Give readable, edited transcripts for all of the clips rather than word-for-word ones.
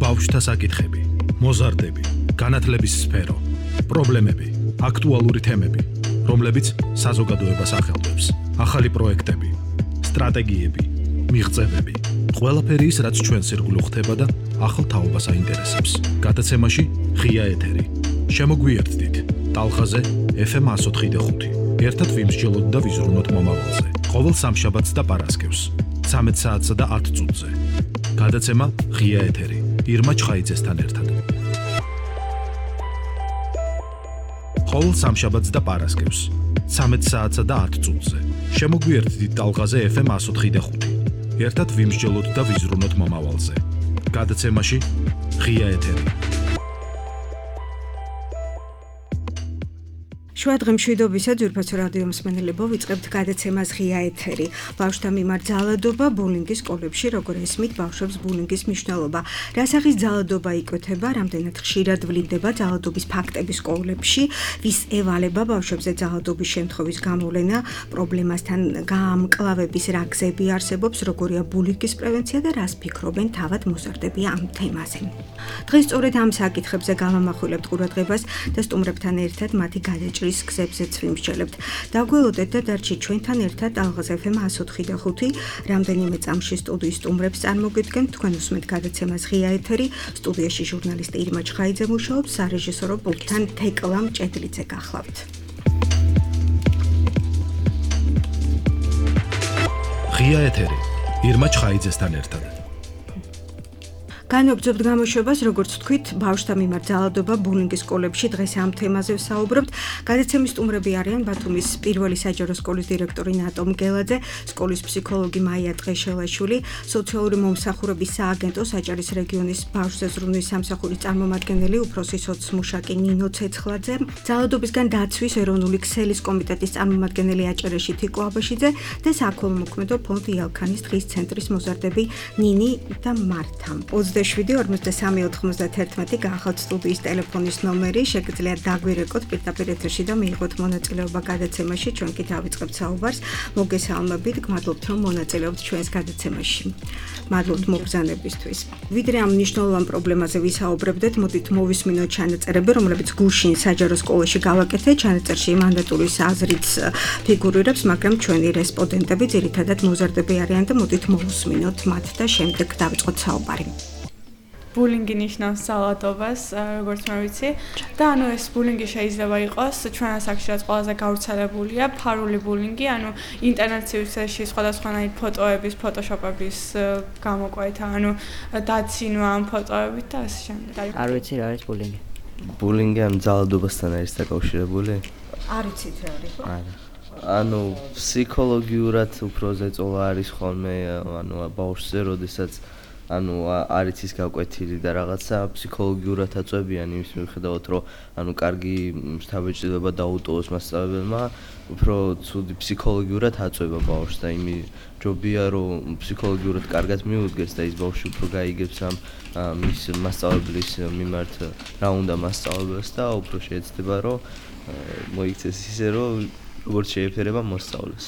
ბავშვთა საკითხები, მოზარდები, განათლების სფერო, პრობლემები, აქტუალური თემები, რომლებიც საზოგადოებას ახელვებს, ახალი პროექტები, სტრატეგიები, მიღწევები, ყველაფერი ის, რაც ჩვენს ირგვლივ ხდება და ახალ თაობას აინტერესებს. გადაცემაში ღია ეთერი. შემოგვიერთდით ტალღაზე FM 104.5. ერთად ვიმსჯელოთ და ვიზრუნოთ მომავალზე. ყოველ სამშაბათს და პარასკევს 13 საათსა და 10 წუთზე. გადაცემა ღია ეთერი. ირმა ჩხაიძესთან ერთად. ყოველ სამშაბათს და პარასკევს 13 საათსა და 10 წუთზე. შემოგვიერთდით ტალღაზე FM 104.5. ერთად ვიმსჯელოთ და ვიზრუნოთ მომავალზე. გადაცემაში ღია ეთერი. შუადღე მშვიდობისა ძვირფასო რადიო მსმენელებო, ვიწყებთ გადაცემას ღია ეთერი. ბავშვთა მიმართ ძალადობა ბულინგის სკოლებში, როგორ ესმით ბავშვებს ბულინგის მნიშვნელობა. რა სახის ძალადობა იკვეთება, რამდენად ხშირად ვლინდება ძალადობის ფაქტები სკოლებში, ვის ევალება ბავშვებზე ძალადობის შემთხვევის გამოვლენა, პრობლემასთან გამკლავების რა გზები არსებობს, როგორია ბულინგის პრევენცია და რას ფიქრობენ თავად მოზარდები ამ თემაზე. დღეს სწორედ ამ საკითხებზე გავამახვილებთ ყურადღებას და სტუმრებთან ერთად მათი გადაჭრის გზებზეც ვიმსჯელებთ. დაგველოდეთ და დარჩით ჩვენთან ერთად ტალღაზე FM 104.5. რამდენიმე წამში სტუდიის სტუმრებს წარმოგიდგენთ. თქვენ უსმენთ გადაცემას ღია ეთერი. სტუდიაში ჟურნალისტი ირმა ჩხაიძე მუშაობს, სარეჟისორო პულტთან თეკლა მჭედლიძე გახლავთ. ღია ეთერი. ირმა ჩხაიძესთან ერთად. განვაგრძობთ გამოშვებას, როგორც თქვით, ბავშვთა მიმართ ძალადობა ბულინგის სკოლებში. დღეს ამ თემაზე ვსაუბრობთ. გადაცემის სტუმრები არიან ბათუმის პირველი საჯარო სკოლის დირექტორი ნატო მგელაძე, სკოლის ფსიქოლოგი მაია ტყეშელაშვილი, სოციალური მომსახურების სააგენტო საჭარის რეგიონის ბავშვთა ზრუნვის სამსახურის წარმომადგენელი უფროსი სოცმუშაკი ნინო ცეცხლაძე, ძალადობისგან დაცვის ეროვნული ქსელის კომიტეტის წარმომადგენელი აჭარეში თიკო აბაშიძე და საქველმოქმედო ფონდ იალქანის დღის ცენტრის მოზარდები ნინი და მართა. 27-93-91 გახავთ სტუდიის ტელეფონის ნომერი, შეგიძლიათ დაგვირეკოთ პირდაპირ ეთერში და მიიღოთ მონაწილეობა გადაცემაში. ჩვენ კი დავიწყებთ საუბარს. მოგესალმებით, გმადლობთ რომ მონაწილეობთ ჩვენს გადაცემაში. მადლობთ მობრძანებისთვის. ვიდრე ამ მნიშვნელოვან პრობლემაზე ვისაუბრებდეთ, მოდით მოვისმინოთ ჩანაწერები, რომლებიც გუშინ საჯარო სკოლაში გავაკეთეთ. ჩანაწერში მანდატურის აზრით ფიგურირებს, მაგრამ ჩვენი რესპონდენტები ძირითადად მოზარდები არიან და მოდით მოვუსმინოთ მათ და შემდეგ დავიწყოთ საუბარი. ბულინგი ნიშნავს ძალადობას, როგორც მე ვიცი, და ეს ბულინგი შეიძლება იყოს ჩვენ ასაკში რაც ყველაზე გავრცელებულია, ფარული ბულინგი, ინტერნეტში სხვადასხვანაირ ფოტოების, ფოტოშოპების გამოკვეთა, დაცინვა ამ ფოტოებით და ასე შემდეგ. არ ვიცი რა არის ბულინგი. ბულინგი ამ ძალადობასთან არის დაკავშირებული? არ იცით რა არის, ხო? არა. ფსიქოლოგიურად უფრო ზეწოლა არის ხოლმე, ბავშვზე, როდესაც არის ის გაკვეთილი და რაღაცა ფსიქოლოგიურად აწვევიან იმის მიუხედავად, რომ კარგი შთაბეჭდილება დაუტოვოს მასწავლებელმა, უფრო ცუდი ფსიქოლოგიურად აწვევა ბავშვს და ჯობია რომ ფსიქოლოგიურად კარგად მიუდგეს და ის ბავშვი უფრო გაიგებს ამ მის მასწავლებლის მიმართ რა უნდა მასწავლებელს და უფრო შეეცდება რომ მოიქცეს ისე რომ როგორც შეეფერება მოსწავლეს.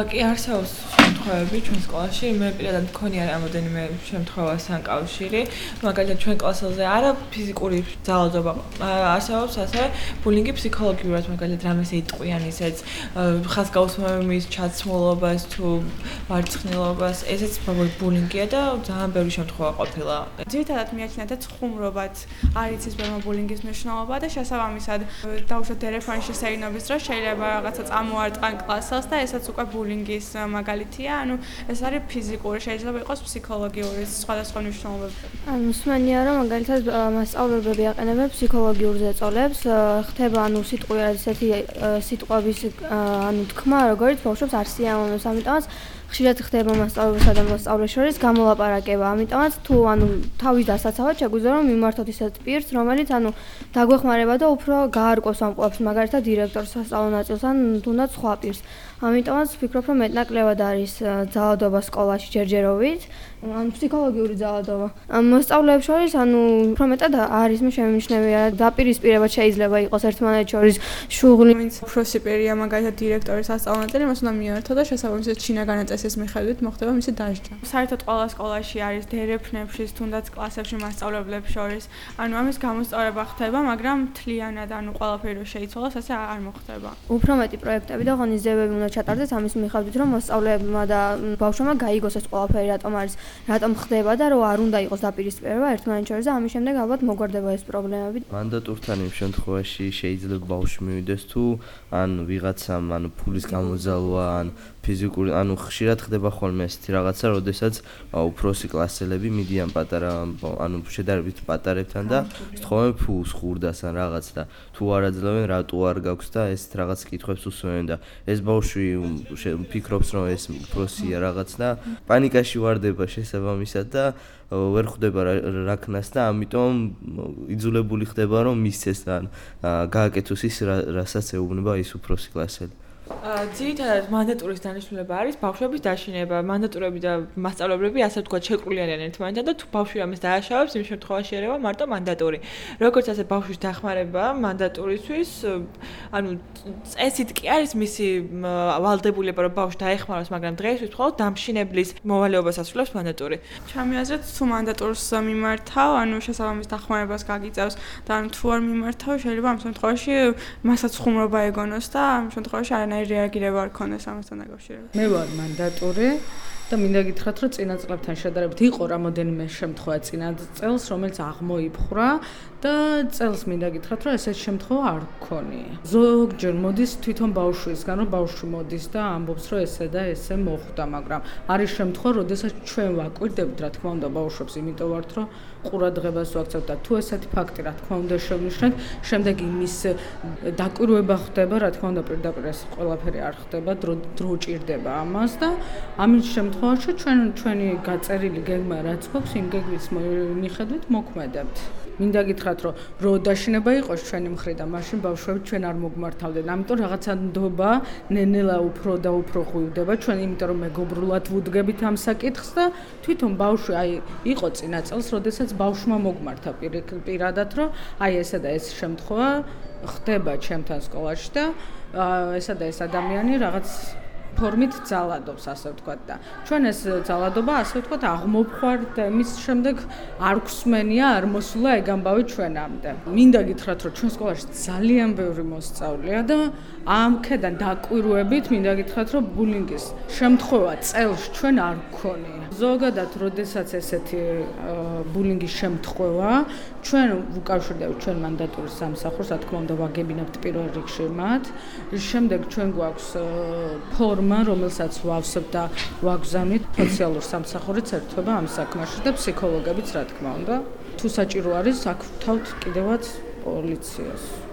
კი არსებობს შემთხვევები ჩვენ სკოლაში, მე პირადად მქონია რამოდენიმე შემთხვევასთან კავშირი, მაგალითად ჩვენ კლასელზე არა ფიზიკური ძალადობა არსებობს, ასევე ბულინგი ფსიქოლოგიურად, მაგალითად რამეს იტყვიან ისეც ხაზგაუსმების ჩაცმულობას თუ ვარცხნილობას, ესეც ბულინგია და ძალიან ბევრი შემთხვევა ყოფილა. ძირითადად მიაჩნიათ ხუმრობაც არის ის ბულინგის მნიშვნელობა და შესაბამისად დაუშვათ ტელეფონის შესაინობის დროს შეიძლება რაღაცა ამოარტყან კლასელს და ესაც უკვე ბულინგის მაგალითია, ეს არის ფიზიკური, შეიძლება იყოს ფსიქოლოგიური სხვადასხვა მნიშვნელობები. მსმენია რომ მაგალითად მასწავლებლები აყენებენ ფსიქოლოგიურ ზეწოლებს, ხდება სიტყვიერ ესეთი სიტყვების თქმა, როგორც ბავშვებს არ სიამოვნებს, ამიტომაც ხშირად ხდება მასწავლებელსა და მოსწავლეს შორის გამოლაპარაკება, ამიტომაც თუ თავის დასაცავად შეგვიძლია რომ მიმართოთ ისეთ პირს, რომელიც დაგვეხმარება და უფრო გაარკვევს ამ ყველაფერს, მაგალითად დირექტორს, სასწავლო ნაწილს ან თუნდაც სხვა პირს. ამიტომაც ვფიქრობ რომ მეტნაკლებად არის ძალადობა სკოლაში ჯერჯერობით, ფსიქოლოგიური ძალადობა. მოსწავლეებს შორის უფრო მეტად არის შემიმჩნევია, დაპირისპირება შეიძლება იყოს ერთმანეთს შორის შუღლი. ვინც უფროსი პირია, მაგალითად დირექტორის სასწავლო ნაწილი, მას უნდა მიართო და შესაბამისად შინა განაწესება პროცესის მიხედვით მოხდება მისი დასჯა. საერთოდ ყველა სკოლაში არის დერეფნებში, თუნდაც კლასებში მასწავლებლებს შორის. ანუ ამის გამოსწორება ხდება, მაგრამ მთლიანად ყველაფერი რო შეიცვალოს, ასე არ მოხდება. უფრო მეტი პროექტები და ღონისძიებები უნდა ჩატარდეს ამის მიხედვით, რომ მოსწავლეებმა და ბავშვებმა გაიგოს ეს ყველაფერი რატომ ხდება და რომ არ უნდა იყოს დაპირისპირება ერთმანეთს შორის და ამის შემდეგ ალბათ მოგვარდება ეს პრობლემები. მანდატურთან იმ შემთხვევაში შეიძლება ბავშვი მივიდეს თუ ან ვიღაცამ ფულის გამოძალვა ან ფიზიკური ხშირად ხდება ხოლმე ესეთი რაღაცა, როდესაც უფროსი კლასელები მიდიან პატარა შედარებით პატარებთან და სწხოვენ ფულს ხურდას ან რაღაც და თუ არ აძლევენ რატო არ გაქვს და ეს რაღაც კითხვებს უსვენენ და ეს ბავშვი ფიქრობს რომ ეს უფროსია რაღაც და პანიკაში ვარდება შესაბამისად და ვერ ხვდება რა ქნას და ამიტომ იძულებული ხდება რომ მისცეს ან გააკეთოს ის რასაც ეუბნება ის უფროსი კლასელი. ძირითადად მანდატურის დანიშნულება არის ბავშვების დაშინება. მანდატურები და მასწავლებლები ასე ვთქვათ შეკრული არიან ერთმანეთთან და თუ ბავშვი ამას დააშავებს, იმ შემთხვევაში ერევა მარტო მანდატური. როგორც ასე ბავშვის დახმარება მანდატურისთვის, წესით კი არის მისი ვალდებულება, რომ ბავშვი დაეხმაროს, მაგრამ დღეისთვის მხოლოდ დამშინებლის მოვალეობას ასრულებს მანდატური. ჩემი აზრით, თუ მანდატურს მიმართავ, შესაბამის დახმარებას გაგიწევს და თუ არ მიმართავ, შეიძლება ამ შემთხვევაში მასაც ხუმრობა ეგონოს და ამ შემთხვევაში არანაირი რეაგირება არ ქონდეს ამასთან დაკავშირებით. მე ვარ მანდატური და მინდა გითხრათ, რომ წინა წლებთან შედარებით იყო რამოდენიმე შემთხვევა წინა წელს, რომელიც აღმოიფხვრა და წელს მინდა გითხრათ, რომ ესეთი შემთხვევა არ გქონია. ზოგჯერ მოდის თვითონ ბავშვისგან, რომ ბავშვი მოდის და ამბობს, რომ ესე და ესე მოხდა, მაგრამ არის შემთხვევა, როდესაც ჩვენ ვაკვირდებით, რა თქმა უნდა, ბავშვებს, იმიტომ ვართ, რომ ყურადღებას ვაქცევთ და თუ ესეთი ფაქტი, რა თქმა უნდა, შევნიშნეთ, შემდეგ იმის დაკვირვება ხდება, რა თქმა უნდა, პირდაპირ ეს ყველაფერი არ ხდება, დრო ჭირდება ამას და ამის შემთხვევაში ჩვენი გაწერილი გეგმა რაც გვაქვს, იმ გეგმის მიხედვით მოქმედებთ. მინდა გითხრათ, რომ დაშინება იყოს ჩვენი მხრიდან, მაშინ ბავშვები ჩვენ არ მოგმართავდნენ. ამიტომ რაღაცა ნდობა ნენელა უფრო და უფრო ღვივდება ჩვენ, იმიტომ რომ მეგობრულად ვუდგებით ამ საკითხს და თვითონ ბავშვი იყო წინა წელს, როდესაც ბავშვმა მოგმართა პირადად, რომ ესა და ეს შემთხვევა ხდება ჩემთან სკოლაში და ესა და ეს ადამიანი რაღაც ფორმით ძალადობს, ასე ვთქვათ და ჩვენ ეს ძალადობა, ასე ვთქვათ, აღმოფხვართ და მის შემდეგ არ გვსმენია, არ მოსულა ეგ ამბავი ჩვენამდე. მინდა გითხრათ, რომ ჩვენ სკოლაში ძალიან ბევრი მოსწავლეა და ამ ქედან დაკვირვებით მინდა გითხრათ, რომ ბულინგის შემთხვევა წელს ჩვენ არ გქონია. ზოგადად, როდესაც ესეთი ბულინგის შემთხვევა, ჩვენ ვუკავშირდებით ჩვენ მანდატურის სამსახურს, რა თქმა უნდა, ვაგებინებთ პირველ რიგში მათ. შემდეგ ჩვენ გვაქვს ფორმა, რომელსაც ვავსებთ და ვაგზავნით სოციალურ სამსახურით ერთობა ამ საქმეში და ფსიქოლოგებიც, რა თქმა უნდა. თუ საჭირო არის, აქ ვთავთ კიდევაც პოლიციას.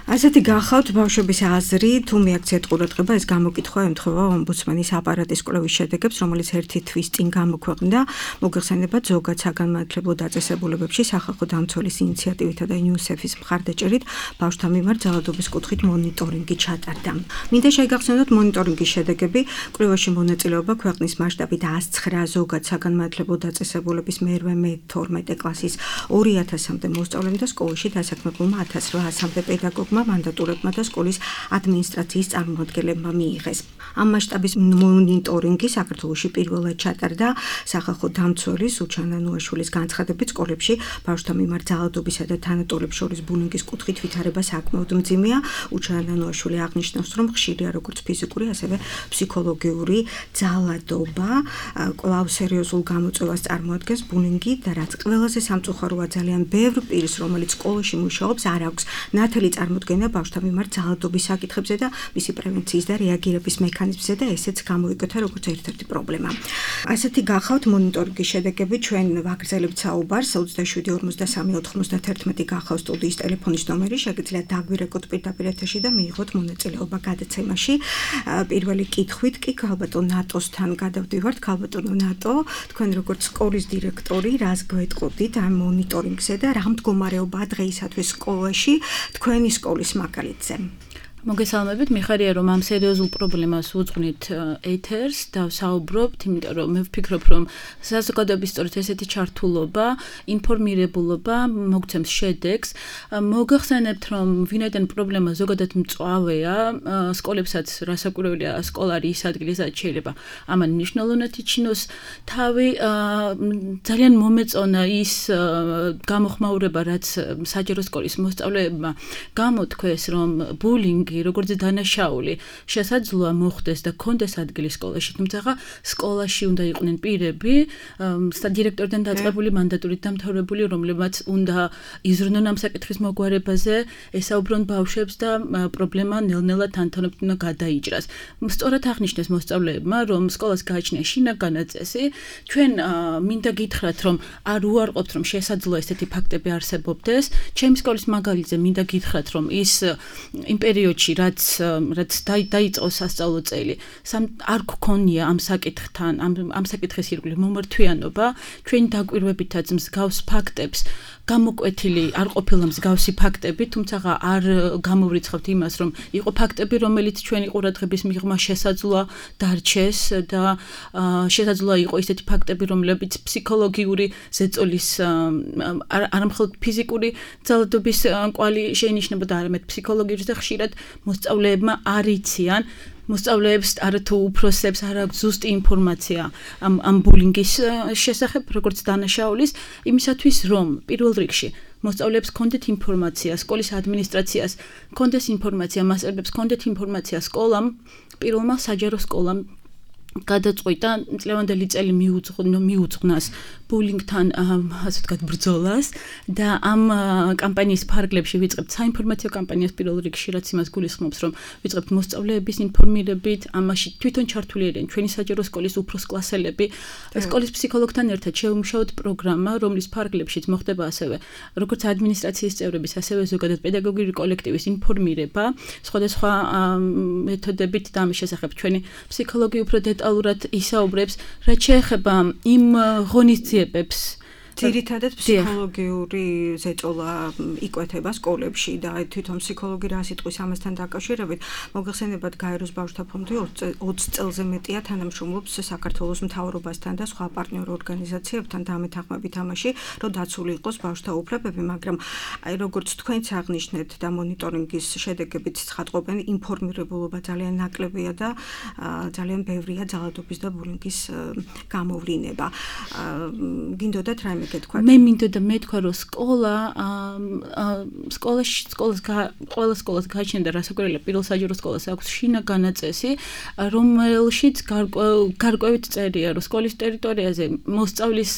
ასეთი გახავთ ბავშვების აზრი, თუ მიაქციეთ ყურადღება, ეს გამოკითხვა ემთხვევა ომბუდსმენის აპარატის კვლევის შედეგებს, რომელიც ერთი თვის წინ გამოქვეყნდა, მოგეხსენებათ ზოგად საგანმანათლებლო დაწესებულებებში სახალხო დამცველის ინიციატივითა და UNICEF-ის მხარდაჭერით ბავშვთა მიმართ ძალადობის კუთხით მონიტორინგი ჩატარდა. მინდა შეგახსენოთ მონიტორინგის შედეგები, კვლევაში მონაწილეობა ქვეყნის მასშტაბით 109 ზოგად საგანმანათლებლო დაწესებულების მე-12 კლასის 2000-მდე მოსწავლემ და სკოლაში დასაქმებულმა 1800-მდე პედაგოგმა მანდატურებმა და სკოლის ადმინისტრაციის წარმომადგენლებმა მიიღეს. ამ მასშტაბის მონიტორინგი საქართველოში პირველად ჩატარდა სახალხო დამცველის უჩანა ნუაშვილის განცხადებით, სკოლებში ბავშვთა მიმართ ძალადობისა და თანატოლებს შორის ბულინგის კუთხით ვითარება საკმაოდ მძიმეა. უჩანა ნუაშვილი აღნიშნავს, რომ ხშირია როგორც ფიზიკური, ასევე ფსიქოლოგიური ძალადობა. კვლავ სერიოზულ გამოწვევას წარმოადგენს ბულინგი და რაც ყველაზე სამწუხაროა, ძალიან ბევრ პირს, რომელიც სკოლაში მუშაობს, არ აქვს ნათელი წარმოდგენა ბავშვთა მიმართ ძალადობის საკითხებზე და მისი პრევენციის და რეაგირების მექანიზმზე და ესეც გამოიკეთა როგორც ერთ-ერთი პრობლემა. ასეთი გახავთ მონიტორინგის შედეგები, ჩვენ ვაგრძელებთ საუბარს 27-53-91 გახავთ სტუდიის ტელეფონის ნომერი, შეგიძლიათ დაგვირეკოთ პირდაპირ ეთერში და მიიღოთ მონაწილეობა გადაცემაში. პირველი კითხვით კი ქალბატონ ნატოსთან გადავდივართ. ქალბატონო ნატო, თქვენ როგორც სკოლის დირექტორი, რას გვეტყოდით ამ მონიტორინგზე და რა მდგომარეობაა დღეისათვის სკოლაში თქვენი სკოლის მაგალითზე? მოგესალმებით, მიხარია რომ ამ სერიოზულ პრობლემას უძღვნით ეთერს და ვსაუბრობთ, იმიტომ რომ მე ვფიქრობ რომ საზოგადოების სწორედ ესეთი ჩართულობა, ინფორმირებულობა მოგცემს შედეგს. მოგახსენებთ რომ ვინაიდან პრობლემა ზოგადად მწვავეა, სკოლებსაც რასაკვირველია, სკოლა არის ის ადგილი, სადაც შეიძლება ამან მნიშვნელოვნად იჩინოს თავი. ძალიან მომეწონა ის გამოხმაურება, რაც საჯარო სკოლის მოსწავლეებმა გამოთქვეს, რომ ბულინგი როგორც დანაშაული შესაძლოა მოხდეს და კონდეს ადგილი სკოლაში, თუმცა სკოლაში უნდა იყვნენ პირები, დირექტორიდან დაწყებული მანდატურით დამთავრებული, რომლებმაც უნდა იზრუნონ ამ საკითხის მოგვარებაზე, ესაუბრონ ბავშვებს და პრობლემა ნელ-ნელა თანდათანობით უნდა გადაიჭრას. სწორად აღნიშნეს მოსწავლეებმა, რომ სკოლას გააჩნია შინაგანი წესი, ჩვენ მინდა გითხრათ, რომ არ უარყოფთ, რომ შესაძლოა ესეთი ფაქტები არსებობდეს. ჩემი სკოლის მაგალითზე მინდა გითხრათ, რომ ის იმ პერიოდში რაც დაიწყო სასწავლო წელი, არ გქონია ამ საკითხთან, ამ საკითხის ირგვლივ მომართვიანობა, ჩვენი დაკვირვებითაც მსგავს ფაქტებს გამოკვეთილი არ ყოფილა მსგავსი ფაქტები, თუმცა არ გამოვრიცხავთ იმას, რომ იყო ფაქტები, რომელიც ჩვენი ყურადღების მიღმა შესაძლოა დარჩეს და შესაძლოა იყო ისეთი ფაქტები, რომლებიც ფსიქოლოგიური ზეწოლის არა მხოლოდ ფიზიკური ძალადობის კვალი შეინიშნებოდა, არამედ ფსიქოლოგიური და ხშირად მოსწავლეებმა არ იციან მოსწავლეებს არათუ უფროსებს არ აქვს ზუსტი ინფორმაცია ამ ბულინგის შესახებ, როგორც დანაშაულის, იმისათვის რომ პირველ რიგში მოსწავლეებს კონდეთ ინფორმაცია, სკოლის ადმინისტრაციას კონდეს ინფორმაცია, მასწავლებლებს კონდეთ ინფორმაცია, სკოლამ, პირველმა საჯარო სკოლამ გადაწყვიტა წლევანდელი წელი მიუძღვნას ბულინგთან ასე ვთქვათ ბრძოლას და ამ კამპანიის ფარგლებში ვიწყებთ საინფორმაციო კამპანიას პირველ რიგში, რაც იმას გულისხმობს, რომ ვიწყებთ მოსწავლეების ინფორმირებით, ამაში თვითონ ჩართული არიან ჩვენი საჯარო სკოლის უფროს კლასელები, სკოლის ფსიქოლოგთან ერთად შევმუშაოთ პროგრამა, რომლის ფარგლებშიც მოხდება ასევე როგორც ადმინისტრაციის წევრების, ასევე ზოგადად პედაგოგიური კოლექტივის ინფორმირება, სხვადასხვა მეთოდებით და ამის შესახებ ჩვენი ფსიქოლოგი უფრო დეტალურად ისაუბრებს, რაც შეეხება იმ ღონისძიებებს, ძირითადად ფსიქოლოგიური ზეწოლა იკვეთება სკოლებში და თვითონ ფსიქოლოგი რა სიტყვის ამასთან დაკავშირებით მოგეხსენებათ გაეროს ბავშვთა ფონდი 20 წელზე მეტია თანამშრომლობს საქართველოს მთავრობასთან და სხვა პარტნიორ ორგანიზაციებთან და ამეთანხმებით ამაში, რომ დაცული იყოს ბავშვთა უფლებები, მაგრამ აი როგორც თქვენც აღნიშნეთ და მონიტორინგის შედეგებიც ცხადყოფენ, ინფორმირებულობა ძალიან ნაკლებია და ძალიან ბევრია ძალადობის და ბულინგის გამოვლინება. გინდოდათ რაიმე მე მინდოდა მეთქვა, რომ ყველა სკოლას გააჩნია და რასაკვირველია პირველ საჯარო სკოლას აქვს შინაგანი წესი, რომელშიც გარკვევით წერია, რომ სკოლის ტერიტორიაზე მოსწავლის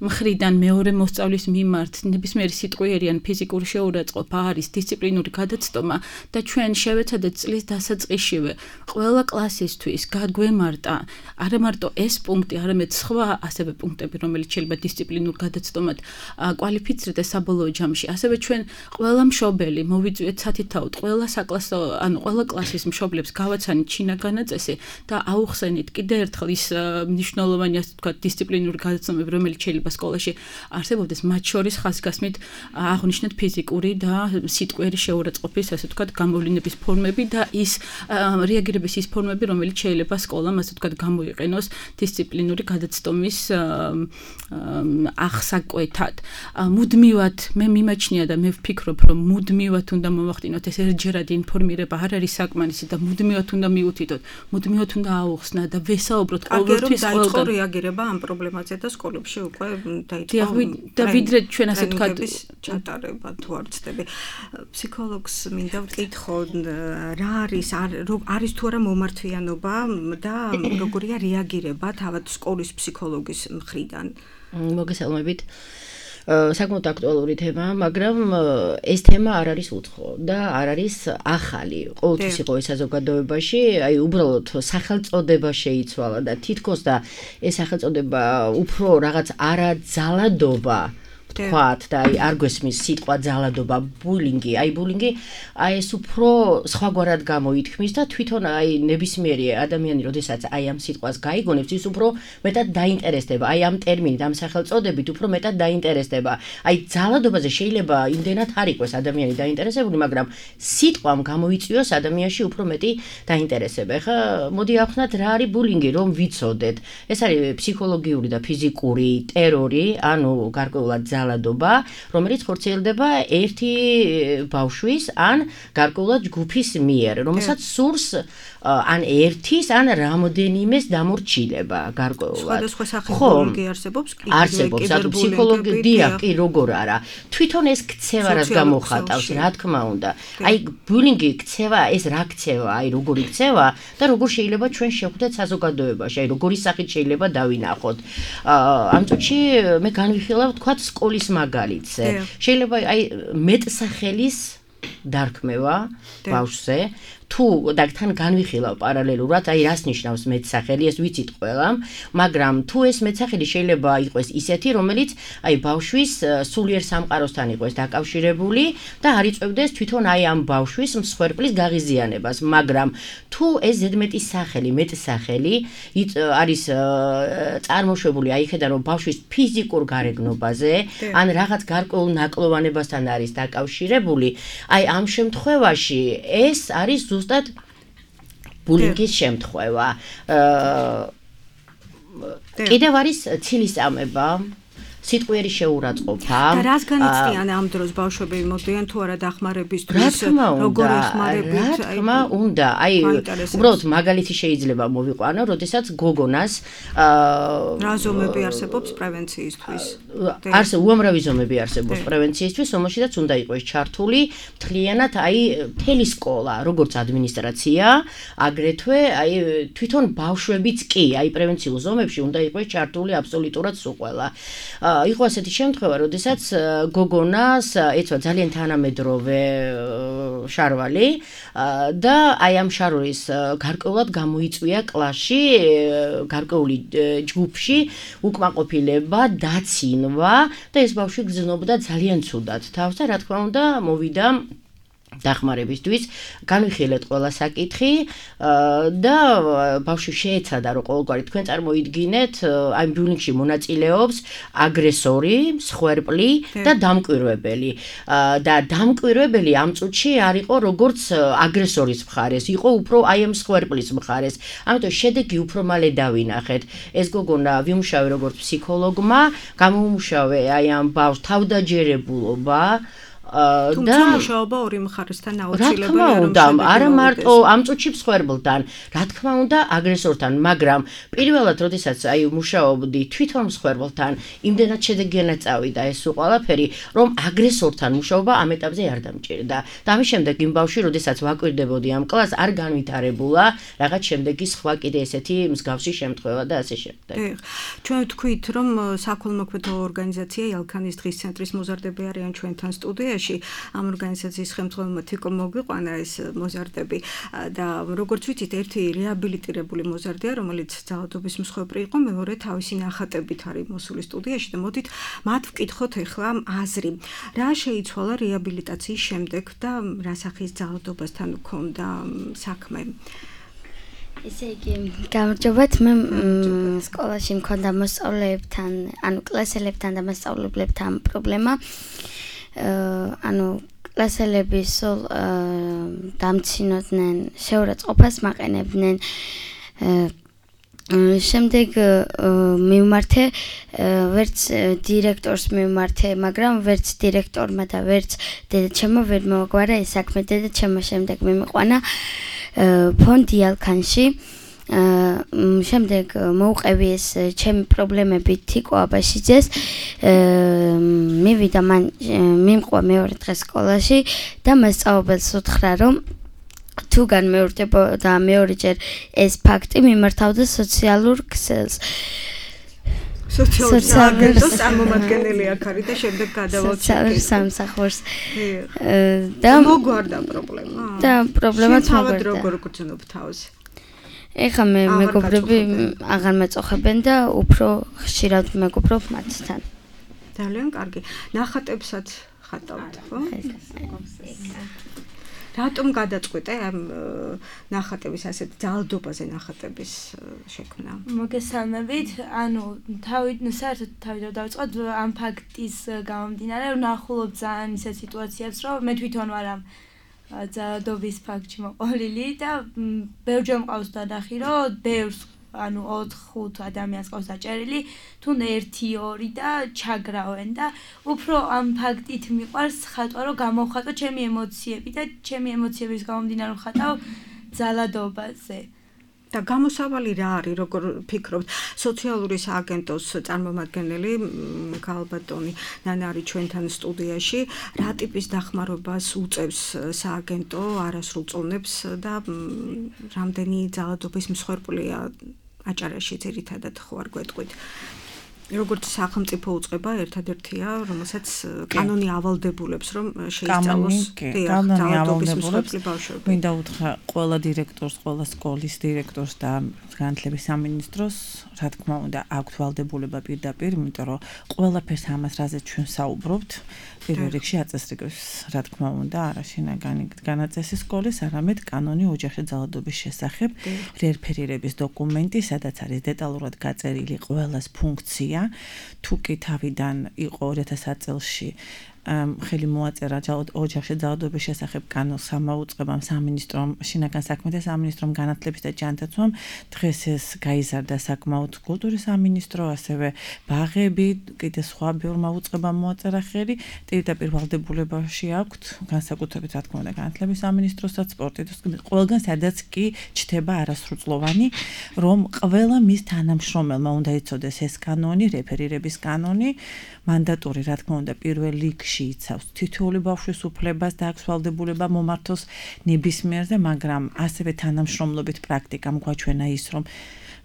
მხრიდან მეორე მოსწავლის მიმართ ნებისმიერი სიტყვიერი ან ფიზიკური შეურაცხყოფა არის დისციპლინური გადაცტომა და ჩვენ შევეცადეთ წლის დასაწყისშივე ყველა კლასისთვის გაგვემართა არა მარტო ეს პუნქტი, არამედ სხვა ასევე პუნქტები, რომელიც შეიძლება დისციპლინურ გადაცდომად კვალიფიცირდეს საბოლოო ჯამში. ასევე ჩვენ ყველა მშობელი მოვიწვიეთ სათითაოდ, ყველა საკლასო, ანუ ყველა კლასის მშობლებს გავაცანით შინაგანი წესი და აუხსენით კიდე ერთხელ ის მნიშვნელოვანი, ასე ვთქვათ, დისციპლინური გადაცდომები, რომელიც შეიძლება სკოლაში არსებობდეს, მათ შორის ხაზგასმით აღნიშნეთ ფიზიკური და სიტყვიერი შეურაცხყოფის, ასე ვთქვათ, გამოვლინების ფორმები და ის რეაგირების ის ფორმები, რომელიც შეიძლება სკოლამ, ასე ვთქვათ, გამოიყენოს დისციპლინური გადაცდომის ახსაკვეთად. მუდმივად მე მიმაჩნია და მე ვფიქრობ, რომ მუდმივად უნდა მოვახდინოთ ეს ერთჯერადი ინფორმირება არ არის საკმარისი და მუდმივად უნდა მიუთითოთ, მუდმივად უნდა აუხსნა და ვესაუბროთ ყოველთვის დაიწყო რეაგირება ამ პრობლემაზე და სკოლებში უკვე დაიწყო და ვიდრე ჩვენ ასე ვთქვათ ჩატარება თუ არ ვცდები. ფსიქოლოგს მინდა ვკითხო, რა არის თუ არა მომართვიანობა და როგორია რეაგირება თავად სკოლის ფსიქოლოგის მხრიდან. მოგესალმებით. საკმაოდ აქტუალური თემა, მაგრამ ეს თემა არ არის უცხო და არ არის ახალი. ყოველთვის იყო ეს საზოგადოებაში, აი უბრალოდ სახელწოდება შეიცვალა და თითქოს და ეს სახელწოდება უფრო რაღაც არაძალადობა თქვათ და აი არ გვესმის სიტყვა ძალადობა, ბულინგი, აი ეს უფრო სხვაგვარად გამოითქმის და თვითონ აი ნებისმიერი ადამიანი, როდესაც აი ამ სიტყვას გაიგონებს, ის უფრო მეტად დაინტერესდება, აი ამ ტერმინით, ამ სახელწოდებით უფრო მეტად დაინტერესდება. აი ძალადობაზე შეიძლება იმდენად არ იყოს ადამიანი დაინტერესებული, მაგრამ სიტყვამ გამოიწვიოს ადამიანში უფრო მეტი დაინტერესება. ეხლა მოდი ავხსნათ რა არის ბულინგი, რომ ვიცოდეთ. ეს არის ფსიქოლოგიური და ფიზიკური ტერორი, ანუ გარკვეულად ძალადობა, რომელიც ხორციელდება ერთი ბავშვის ან გარკვეულად ჯგუფის მიერ, რომელსაც სურს ან ერთის, ან რამოდენიმეს დამორჩილება გარკვეულად. სხვადასხვა სახის ბულინგი არსებობს? არსებობს, ანუ ფსიქოლოგია კი როგორ არა. თვითონ ეს ქცევა რაც გამოხატავს, რა თქმა უნდა. აი ბულინგი ქცევა, ეს რა ქცევა, აი როგორი ქცევა და როგორ შეიძლება ჩვენ შევხვდეთ საზოგადოებაში, აი როგორი სახით შეიძლება დავინახოთ. ამ წუთში მე განვიხილავ თქვათ სკოლის მაგალითზე. შეიძლება აი მეტსახელის დარქმევა ბავშვზე თუ და თან განვიხილავ პარალელურად, აი რას ნიშნავს მეტსახელი, ეს ვიცით ყველამ, მაგრამ თუ ეს მეტსახელი შეიძლება იყოს ისეთი, რომელიც აი ბავშვის სულიერ სამყაროსთან იყოს დაკავშირებული და არ იწევდეს თვითონ აი ამ ბავშვის მსხვერპლის გაღიზიანებას, მაგრამ თუ ეს ზედმეტი სახელი, მეტსახელი არის წარმოშვებული აი ხედა რომ ბავშვის ფიზიკურ გარეგნობაზე, ან რაღაც გარკვეულ ნაკლოვანებასთან არის დაკავშირებული, აი ამ შემთხვევაში ეს არის ზუსტად ბულინგის შემთხვევა. კიდევ არის ცილისწამება, სიტყვიერი შეურაცხყოფა. და რას განიცდიან ამ დროს ბავშვები მოდიან თუ არა დახმარებისთვის, როგორ ეხმარებით? რა თქმა უნდა, აი უბრალოდ მაგალითი შეიძლება მოვიყვანო, როდესაც გოგონას რა ზომები არსებობს პრევენციისთვის? უამრავი ზომები არსებობს პრევენციისთვის, რომელშიც უნდა იყოს ჩართული მთლიანად აი მთელი სკოლა, როგორც ადმინისტრაცია, აგრეთვე აი თვითონ ბავშვებიც კი, აი პრევენციულ ზომებში უნდა იყოს ჩართული აბსოლუტურად სულ ყველა. იყო ასეთი შემთხვევა, როდესაც გოგონას ეცვა ძალიან თანამედროვე შარვალი და აი ამ შარვალის გარკვეულად გამოიწვია კლასში, გარკვეული ჯგუფში უკმაყოფილება, დაცინვა და ეს ბავშვი გრძნობდა ძალიან ცუდად თავს და რა თქმა უნდა მოვიდა დახმარებისთვის, განვიხილეთ ყველა საკითხი და ბავშვი შეეცადა რომ ყოველგვარი თქვენ წარმოიდგინეთ აი ბულინგში მონაწილეობს აგრესორი, მსხვერპლი და დამკვირვებელი. და დამკვირვებელი ამ წუთში არ იყო როგორც აგრესორის მხარეს, იყო უფრო აი ამ მსხვერპლის მხარეს. ამიტომ შედეგი უფრო მალე დავინახეთ. ეს გოგონა ვიმუშავე როგორც ფსიქოლოგმა, გამომუშავე აი ამ ბავშვს თავდაჯერებულობა თუმცა მუშაობა ორი მხარესთან აუცილებელია, რომ არა მარტო ამ წუთში მსხვერპლთან, რა თქმა უნდა აგრესორთან, მაგრამ პირველად როდესაც აი მუშაობდი თვითონ მსხვერპლთან, იმდენად შედეგიანად წავიდა ეს ყველაფერი, რომ აგრესორთან მუშაობა ამ ეტაპზე არ დამჭირდა. და ამის შემდეგ იმ ბავშვი, როდესაც ვაკვირდებოდი ამ კლასს, არ განვითარებულა რაღაც შემდეგი სხვა კიდე ესეთი მსგავსი შემთხვევა და ასე შემდეგ. ჩვენ ვთქვით, რომ საქველმოქმედო ორგანიზაცია ელქანის დღის ცენტრის მოზარდები არიან ჩვენთან სტუდიაში. ამ ორგანიზაციის ხელმძღვანელმა თიკო მოგვიყვანა ეს მოზარდები და როგორც ვიცით, ერთი რეაბილიტირებული მოზარდია, რომელიც ძალადობის მსხვერპლი იყო, მეორე თავისი ნახატებით არის მოსული სტუდიაში და მოდით მათ ვკითხოთ ახლა აზრი. რა შეიცვალა რეაბილიტაციის შემდეგ და რა სახის ძალადობასთან ჰქონდა საქმე? ესე იგი, გამარჯობათ, მე სკოლაში მქონდა მოსწავლეებთან, ანუ კლასელებთან და მასწავლებლებთან პრობლემა. ანუ კლასელები სულ დამცინოდნენ, შეურაცხყოფას მაყენებდნენ. შემდეგ მივმართე ვერც დირექტორს მივმართე, მაგრამ ვერც დირექტორმა და ვერც დედაჩემმა ვერ მოაგვარა ეს საქმე. დედაჩემმა შემდეგ მიმიყვანა ფონდი ალქანში. შემდეგ მოუყევი ეს ჩემი პრობლემები თიკო აბაშიძეს. მივიდა მან მიმყვა მეორე დღეს სკოლაში და მასწავლებელს უთხრა რომ თუ განმეორდებოდა მეორეჯერ ეს ფაქტი მიმართავდა სოციალურ ქსელს. სოციალურ წარმომადგენელი აქ არის და შემდეგ გადავაჩერდით სამსახურს. და მოგვარდა პრობლემა. და პრობლემაც მოგვარდა. როგორ გძნობ თავს? ეხლა მე მეგობრები აღარ მეწოხებენ და უფრო ხშირად მეგობრობ მათთან. ძალიან კარგი. ნახატებსაც ხატავთ, ხო? რატომ გადაწყვიტე ამ ნახატების ასეთ ძალადობაზე ნახატების შექმნა? მოგესალმებით. ანუ საერთოდ თავიდან დავიწყოთ ამ ფაქტის გამომდინარე, ვნახულობ ძალიან ისეთ სიტუაციებს, რომ მე თვითონ ვარ ამ ძალადობის ფაქტში მოყოლილი და ბევრჯერ მყავს დანახი, რომ ბევრს ანუ 4-5 ადამიანს ყავს დაჭერილი, თუნ 1-2 და ჩაგრავენ და უფრო ამ ფაქტით მიყვარს ხატვა, რომ გამოვხატო ჩემი ემოციები და ჩემი ემოციების გამომდინარე ხატავ ძალადობაზე. და გამოსავალი რა არის, როგორ ფიქრობთ? სოციალური სააგენტოს წარმომადგენელი ქალბატონი ნანა არის ჩვენთან სტუდიაში. რა ტიპის დახმარებას უწევს სააგენტო არასრულწლოვნებს და რამდენი ძალადობის მსხვერპლია აჭარაში ძირითადად ხო არ გვეტყვით? როგორც სახელმწიფო უწყება ერთადერთია, რომელსაც კანონი ავალდებულებს, რომ შეისწავლოს ძალადობის მსხვერპლი ბავშვები. მინდა უთხრა ყველა დირექტორს, ყველა სკოლის დირექტორს და განათლების სამინისტროს, რა თქმა უნდა, აქვთ ვალდებულება პირდაპირ, იმიტომ რომ ყველაფერს ამას რაზეც ჩვენ საუბრობთ, პირველ რიგში აწესრიგებს, რა თქმა უნდა, არა შინაგანი განაწესი სკოლის, არამედ კანონი ოჯახში ძალადობის შესახებ, რეფერირების დოკუმენტი, სადაც არის დეტალურად გაწერილი ყველას ფუნქცია. თუ კი თავიდან იყო 2000 წელში ხელი მოაწერა ოჯახში ძალადობის შესახებ კანონს სამაუწყებამ სამინისტრომ შინაგან საქმეთა სამინისტრომ განათლების და ჯანდაცვამ დღეს ეს გაიზარდა საკმაოდ კულტურის სამინისტრო ასევე ბაღები კიდე სხვა ბევრმა უწყებამ მოაწერა ხელი პირდაპირ ვალდებულებაში აქვთ განსაკუთრებით რა თქმა უნდა განათლების სამინისტროსაც სპორტის ყველგან სადაც კი ჩდება არასრულწლოვანი რომ ყველა მის თანამშრომელმა უნდა იცოდეს ეს კანონი რეფერირების კანონი მანდატური რა თქმა უნდა პირველ რიგში იცავს თითოეული ბავშვის უფლებას და აქვს ვალდებულება მომართოს ნებისმიერზე, მაგრამ ასევე თანამშრომლობით პრაქტიკამ გვაჩვენა ის, რომ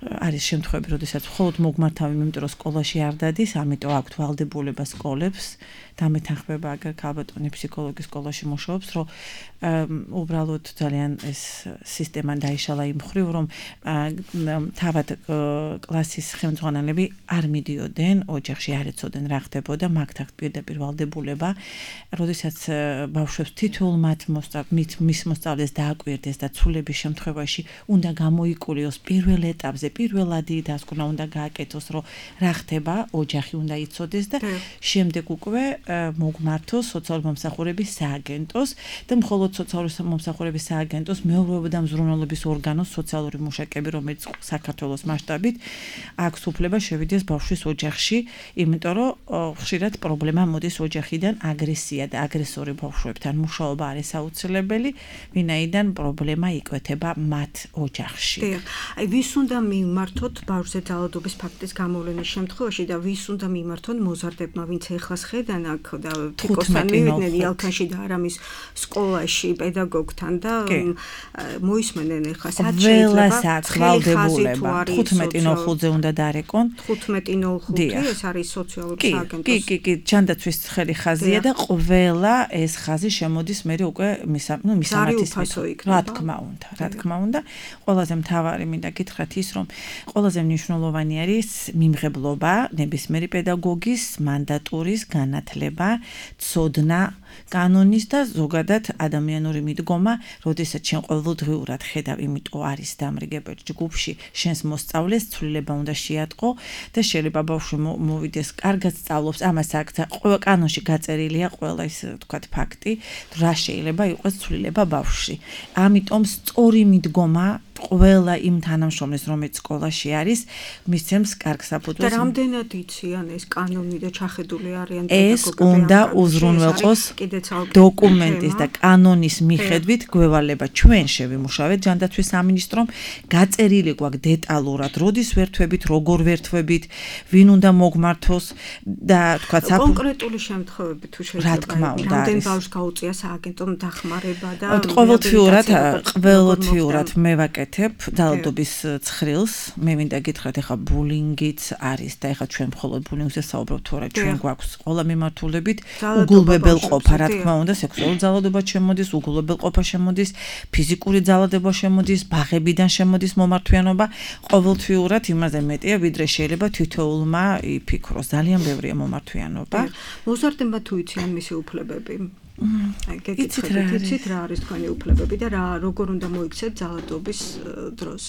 არის შემთხვევები, როდესაც მხოლოდ მოგმართავი, იმიტომ რომ სკოლაში არ დადის, ამიტომ აქვთ ვალდებულება სკოლებს და მეთანხმება აგერ ქალბატონი ფსიქოლოგის სკოლაში მუშაობს, რომ უბრალოდ ძალიან ეს სისტემა დაიშალა იმ მხრივ, რომ თავად კლასის ხელმძღვანელები არ მიდიოდნენ ოჯახში, არ ეცოდნენ რა ხდებოდა, მაგთ აქვთ პირდაპირ ვალდებულება, როდესაც ბავშვებს თითოეულ მის მოსწავლეს დააკვირდეს და ცვლილების შემთხვევაში უნდა გამოიკურიოს პირველ ეტაპზე, პირველადი დასკვნა უნდა გააკეთოს, რომ რა ხდება, ოჯახი უნდა იცოდეს და შემდეგ უკვე მოგმართოს სოციალური მომსახურების სააგენტოს და მხოლოდ სოციალური მომსახურების სააგენტოს მეურვეობა და მზრუნველობის ორგანოს სოციალური მუშაკები, რომელიც საქართველოს მასშტაბით აქვს უფლება შევიდეს ბავშვის ოჯახში, იმიტომ რომ ხშირად პრობლემა მოდის ოჯახიდან აგრესია და აგრესორი ბავშვებთან მუშაობა არის აუცილებელი, ვინაიდან პრობლემა იკვეთება მათ ოჯახში. აი ვის უნდა მიმართოთ ბავშვზე ძალადობის ფაქტის გამოვლენის შემთხვევაში და ვის უნდა მიმართონ მოზარდებმა, ვინც ეხლას ხედან აქ და თიკოსთან მივიდნენ იალქანში და არამის სკოლაში პედაგოგთან და მოისმენენ ეხლა სად შეიძლება ვალდებულება 15:05-ზე უნდა დარეკონ 15:05 ეს არის სოციალური სააგენტოს კი ჯანდაცვის ხელი ხაზია და ყველა ეს ხაზი შემოდის მე უკვე მისამართის რა თქმა უნდა ყველაზე მთავარი მინდა გითხრათ ის რომ ყველაზე მნიშვნელოვანი არის მიმღებლობა ნებისმიერი პედაგოგის მანდატურის განათლება ცოდნა კანონის და ზოგადად ადამიანური მიდგომა, როდესაც შენ ყოველდღიურად ხედავ, იმიტომ არის დამრიგებელ ჯგუფში, შენს მოსწავლეს ცვლილება უნდა შეატყო და შეიძლება ბავშვი მოვიდეს, კარგად სწავლობს, ამას აქვს ყველა კანონში გაწერილია ყველა ის თქვათ ფაქტი, რა შეიძლება იყოს ცვლილება ბავშვში. ამიტომ სწორი მიდგომა ყველა იმ თანამშრომლის, რომელიც სკოლაში არის, მისცემს კარგ საფუძველს. და რამდენად იციან ეს კანონი და ჩახედული არიან პედაგოგები? ეს უნდა უზრუნველყოს დოკუმენტის და კანონის მიხედვით გვევალება ჩვენ შევიმუშავეთ ჯანდაცვის სამინისტრომ, გაწერილი გვაქვს დეტალურად, როდის ვერთვებით, როგორ ვერთვებით, ვინ უნდა მოგმართოს და თქვათ კონკრეტული შემთხვევები თუ შეიძლება. რა თქმა უნდა, რამდენ ბავშვს გაუწია სააგენტომ დახმარება და ყოველთვიურად მე ვაკეთებ ძალადობის ცხრილს წელს მე მინდა გითხრათ ეხა ბულინგიც არის და ეხა ჩვენ მხოლოდ ბულინგზე საუბრობთ თუ არა ჩვენ გვაქვს ყველა მიმართულებით უგულებელყოფა რა თქმა უნდა სექსუალური ძალადობა შემოდის უგულებელყოფა შემოდის ფიზიკური ძალადობა შემოდის ბაღებიდან შემოდის მომართვიანობა ყოველთვიურად იმაზე მეტია ვიდრე შეიძლება თითოეულმა იფიქროს ძალიან ბევრია მომართვიანობა მოზარდება თუ იციან მისი უფლებები იცით რა არის თქვენი უფლებები და როგორ უნდა მოიქცეთ ძალადობის დროს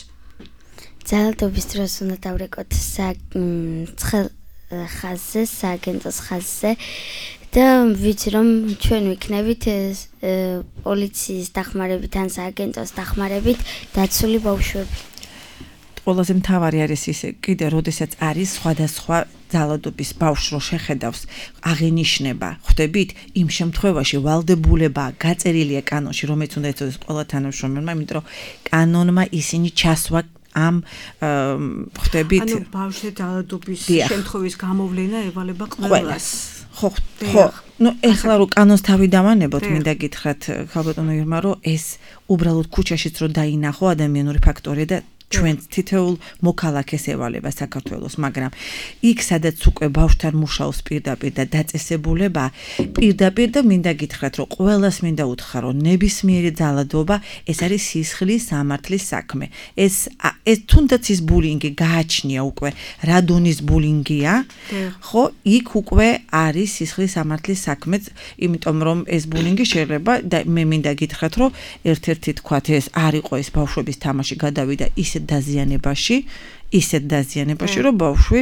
ძალადობის დროს უნდა დავრეკოთ ცხელ ხაზზე სააგენტოს ხაზზე და ვიცი რომ ჩვენ ვიქნებით პოლიციის დახმარებით ან სააგენტოს დახმარებით დაცული ბავშვები ყველაზე მთავარი არის ისე კიდე როდესაც არის სხვადასხვა ძალადობის ბავშვს რო შეხედავს აღინიშნება ხვდებით იმ შემთხვევაში ვალდებულება გაწერილია კანონში რომელიც უნდა ეწოდეს ყველა თანამშრომელმა იმიტომ რომ კანონმა ისინი ჩასვა ამ ხვდებით ანუ ბავშვზე ძალადობის შემთხვევის გამოვლენა ევალება ყველას ხო ნუ ეხლა რო კანონს თავი დავანებოთ მინდა გითხრათ ხალბატონო ირმა რომ ეს უბრალოდ ქუჩაშიც რო დაინახო ადამიანური ფაქტორი და ჩვენ თითოეულ მოქალაქეს ევალება საქართველოს, მაგრამ იქ სადაც უკვე ბავშვთან მუშაობს პირდაპირ და დაწესებულება პირდაპირ და მინდა გითხრათ რომ ყველას მინდა უთხრა რომ ნებისმიერი ძალადობა ეს არის სისხლის სამართლის საქმე. ეს თუნდაც ის ბულინგი გააჩნია უკვე რა დონის ბულინგია, ხო, იქ უკვე არის სისხლის სამართლის საქმე, იმიტომ რომ ეს ბულინგი შეიძლება და მე მინდა გითხრათ რომ ერთ-ერთი თქვათ ეს არ იყო ეს ბავშვების თამაში გადავიდა ისეთ დაზიანებაში, რომ ბავშვი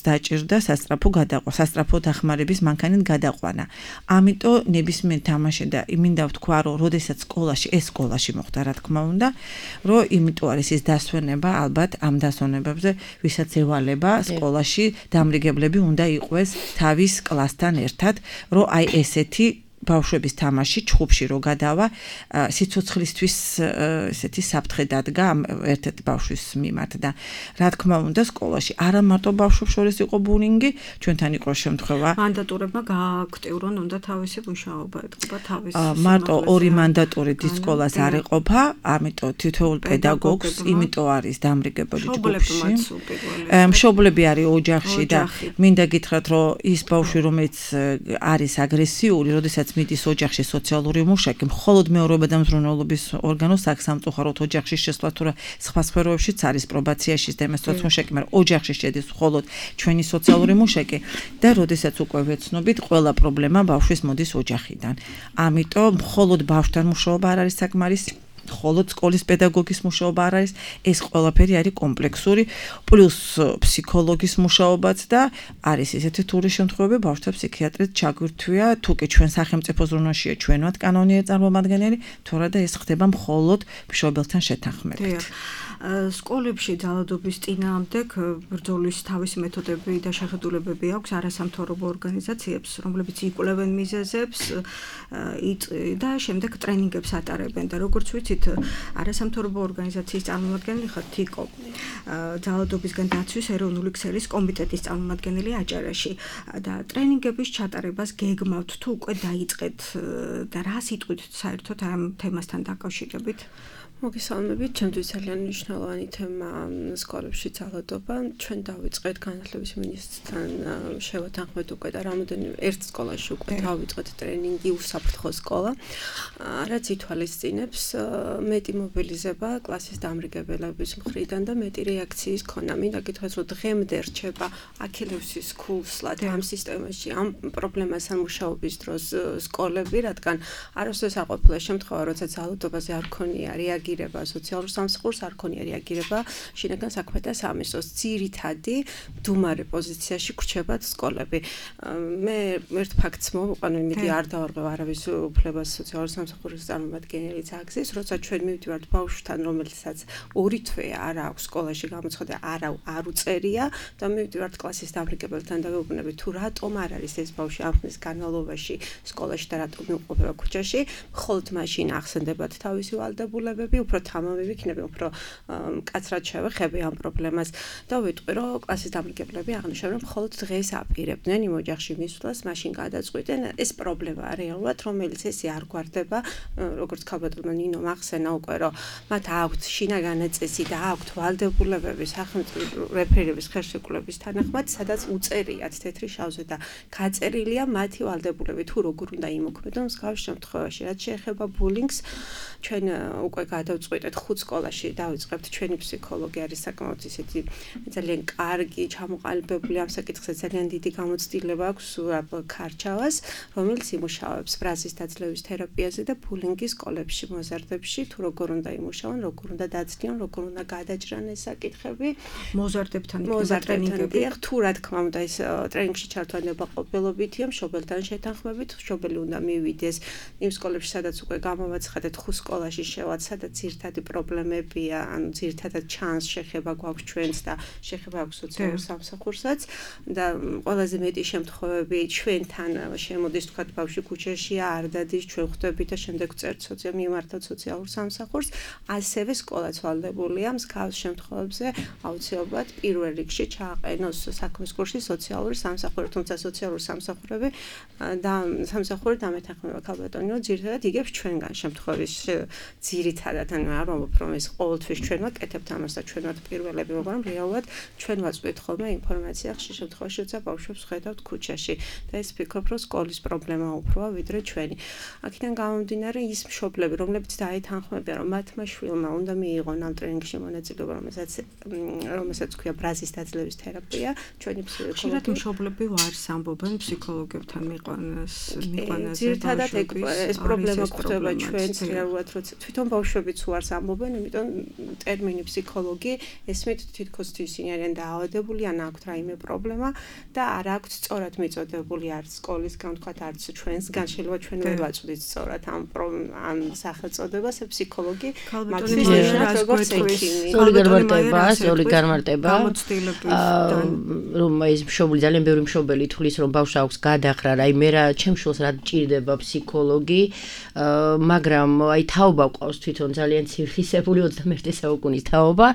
დაჭირდა სასწრაფო დახმარების მანქანით გადაყვანა. ამიტომ ნებისმიერ თამაში და მინდა ვთქვა, რომ როდესაც სკოლაში მოხდა, რა თქმა უნდა, რომ იმიტომ არის ის დასვენება, ალბათ ამ დასვენებებზე, ვისაც ევალება სკოლაში დამრიგებლები უნდა იყვეს თავის კლასთან ერთად, რომ აი ესეთი ბავშვების თამაში ჩხუბში რო გადავა სიცოცხლისთვის ესეთი საფრთხე დადგა ერთ-ერთ ბავშვის მიმართ და რა თქმა უნდა სკოლაში არა მარტო ბავშვებს შორის იყო ბულინგი ჩვენთან იყო შემთხვევა მანდატურებმა გააქტიურონ უნდა თავისი მუშაობა ეთყობა თავის მარტო ორი მანდატური დიდ სკოლას არ ეყოფა ამიტომ თითოეულ პედაგოგს იმიტომ არის დამრიგებელი ჯგუფში მშობლები არის ოჯახში და მინდა გითხრათ რომ ის ბავშვი რომელიც არის აგრესიული როდესაც მიდის ოჯახში სოციალური მუშაკი, მხოლოდ მეურვეობა და მზრუნველობის ორგანოს სამწუხაროდ ოჯახში შესვლა თუ სხვა სფეროებშიც არის პრობაციაში და იმას სოციალურ მაგრამ ოჯახში შედის მხოლოდ ჩვენი სოციალური მუშაკი და როდესაც უკვე ვეცნობით, ყველა პრობლემა ბავშვის მოდის ოჯახიდან. ამიტომ მხოლოდ ბავშვთან მუშაობა არ არის საკმარისი მხოლოდ სკოლის პედაგოგის მუშაობა არ არის, ეს ყველაფერი არის კომპლექსური, პლუს ფსიქოლოგის მუშაობაც და არის ესეთი თური შემთხვევები, ბავშვთა ფსიქიატრით ჩაგვირთვია, თუ კი ჩვენ სახელმწიფო ზრუნვაშია ჩვენවත් კანონიერ წარმომადგენელი, თორე და ეს ხდება მხოლოდ მშობელთან შეთანხმებით. სკოლებში ძალადობის წინააღმდეგ ბრძოლის თავისი მეთოდები და შეხედულებები აქვს არასამთავრობო ორგანიზაციებს, რომლებიც იკვლევენ მიზეზებს და შემდეგ ტრენინგებს ატარებენ და როგორც ვიცით, არასამთავრობო ორგანიზაციის წარმომადგენელი ხარ თიკო, ძალადობისგან დაცვის ეროვნული ქსელის კომიტეტის წარმომადგენელი აჭარაში და ტრენინგების ჩატარებას გეგმავთ თუ უკვე დაიწყეთ და რა სიტყვით საერთოდ ამ თემასთან დაკავშირებით? მოგესალმებით, ჩემთვის ძალიან მნიშვნელოვანი თემა სკოლებში ძალადობა. ჩვენ დავიწყეთ განათლების მინისტრთან შევათანხმეთ უკვე და რამოდენიმე ერთ სკოლაში უკვე დავიწყეთ ტრენინგი უსაფრთხო სკოლა, რაც ითვალისწინებს მეტი მობილიზება კლასის დამრიგებელების მხრიდან და მეტი რეაქციის ქონა. მინდა გითხრათ, რომ დღემდე რჩება აქილევსის ქულსლად ამ სისტემაში, ამ პრობლემასთან მუშაობის დროს სკოლები, რადგან არასდროს არ ყოფილა შემთხვევა, როცა ძალადობაზე არ ქონია რეაგირება სოციალურ სამსახურს არ ქონია რეაგირება შინაგან საქმეთა სამინისტროს ძირითადი მდუმარე პოზიციაში გრჩებათ სკოლები. მე ერთ ფაქტს მოვყვან, იმედი არ დავარღვევ არავის უფლებას სოციალურ სამსახურის წარმომადგენელი ძაგზის, როცა ჩვენ მივდივართ ბავშვთან, რომელსაც ორი თვე არ აქვს სკოლაში გამოცხადა, არ უწერია და მივდივართ კლასის დამრიგებელთან და ვეუბნებით თუ რატომ არ არის ეს ბავშვი ამ ხნის განმავლობაში სკოლაში და რატომ იმყოფება ქუჩაში, მხოლოდ მაშინ ახსენდებათ თავისი ვალდებულებები უფრო თამამები იქნება, უფრო მკაცრად შევეხები ამ პრობლემას და ვიტყვი, რომ კლასის დამრიგებლები აღნიშნავენ, რომ მხოლოდ დღეს აპირებდნენ იმ ოჯახში მისვლას, მაშინ გადაწყვიტენ. ეს პრობლემაა რეალურად, რომელიც ესე არ გვარდება, როგორც ქალბატონმა ნინო მახსენა უკვე, რომ მათ აქვთ შინაგანი წესი და აქვთ ვალდებულებები სახელმწიფო რეფერირების ხელშეკრულების თანახმად, სადაც უწერიათ თეთრი შავზე და გაწერილია მათი ვალდებულები თუ როგორ უნდა იმოქმედონ მსგავს შემთხვევაში. რაც შეეხება ბულინგს, ჩვენ უკვე გადავწყვიტეთ 5 სკოლაში დავიწყებთ ჩვენი ფსიქოლოგი არის საკმაოდ ისეთი ძალიან კარგი, ჩამოყალიბებული ამ საკითხზე ძალიან დიდი გამოცდილება აქვს ქარჩავას, რომელიც იმუშავებს ბრაზის დაძლევის თერაპიაზე და ბულინგის სკოლებში, მოზარდებში, თუ როგორ უნდა იმუშავონ, როგორ უნდა დაცდიან, როგორ უნდა გადაჭრან ეს საკითხები. მოზარდებთან ტრენინგები, თუ რა თქმა უნდა ეს ტრენინგში ჩართვანება ყოფილობითია, მშობელთან შეთანხმებით, მშობელი უნდა მივიდეს იმ სკოლებში, სადაც უკვე გამოვაცხადეთ 5 სკოლაში შევად, სადაც ძირითადი პრობლემებია, ანუ ძირითადად ჩანს შეხება გვაქვს ჩვენს და შეხება აქვს სოციალურ სამსახურსაც და ყველაზე მეტი შემთხვევები ჩვენთან შემოდის თქვა ბავშვი ქუჩაშია, არ დადის, ჩვენ ხვდებით და შემდეგ წერთ მიმართავთ სოციალურ სამსახურს, ასევე სკოლაც ვალდებულია მსგავს შემთხვევებზე აუცილებლად პირველ რიგში ჩააყენოს საქმის კურსი სოციალური სამსახური, თუმცა სოციალური სამსახურები და სამსახური დამეთანხმება ქალბატონი, რომ ძირითადად იგებს ჩვენგან შემთხვევის ძირითადად, ანუ არ ვამბობ, რომ ეს ყოველთვის ჩვენ ვაკეთებთ ამას და ჩვენ ვართ პირველები, მაგრამ რეალურად ჩვენ ვაწვდით ხოლმე ინფორმაცია ხშირ შემთხვევაში, როცა ბავშვებს ხედავთ ქუჩაში და ეს ვფიქრობ, რომ სკოლის პრობლემა უფროა ვიდრე ჩვენი. აქედან გამომდინარე ის მშობლები, რომლებიც დაეთანხმებიან, რომ მათმა შვილმა უნდა მიიღონ ამ ტრენინგში მონაწილეობა, რომელსაც ქვია ბრაზის დაძლევის თერაპია, ჩვენი ფსიქოლოგი. ხშირად მშობლები ვარს ამბობენ ფსიქოლოგებთან მიყვანაზე. ძირითადად ეს პრობლემა გვხვდება ჩვენც რეალურად, როცა თვითონ ბავშვებიც ვარს ამბობენ, იმიტომ ტერმინი ფსიქოლოგი ესმით თითქოს ისინი არიან დაავადებული, ან აქვთ რაიმე პრობლემა და არ აქვთ სწორად მიწოდებული არც სკოლისგან, თქვათ არც ჩვენსგან, შეიძლება ჩვენ ვერ ვაწვდით სწორად ამ სახელწოდებას, ფსიქოლოგი. ქალბატონი მაიას როგორც ექიმი. ორი განმარტება. რომ ეს მშობელი ძალიან ბევრი მშობელი თulis რომ ბავშვს აქვს გადახრა, აი მე რა ჩემ შულს რა ჭირდება ფსიქოლოგი, მაგრამ აი თაობა ყავს თვითონ ძალიან ცირხისებული 21 საუკუნის თაობა,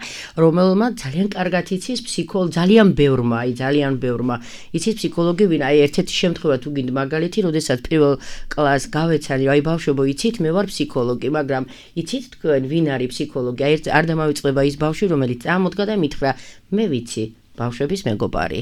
რომელმაც ძალიან კარგად იცის ფსიქოლოგი, ძალიან ბევრმა იცის ფსიქოლოგი ვინ, აი ერთ-ერთი შემთხვევა თუ გინდა მაგალითი, როდესაც პირველ კლასს გავეცანი, აი ბავშვებო იცით, მე ვარ ფსიქოლოგი, მაგრამ იცით თქვენ ვინ არის ფსიქოლოგი? აი არ დამავიწყდება ის ბავშვი, რომელიც წამოდგა და მითხრა, მე ვიცი ბავშვების მეგობარი.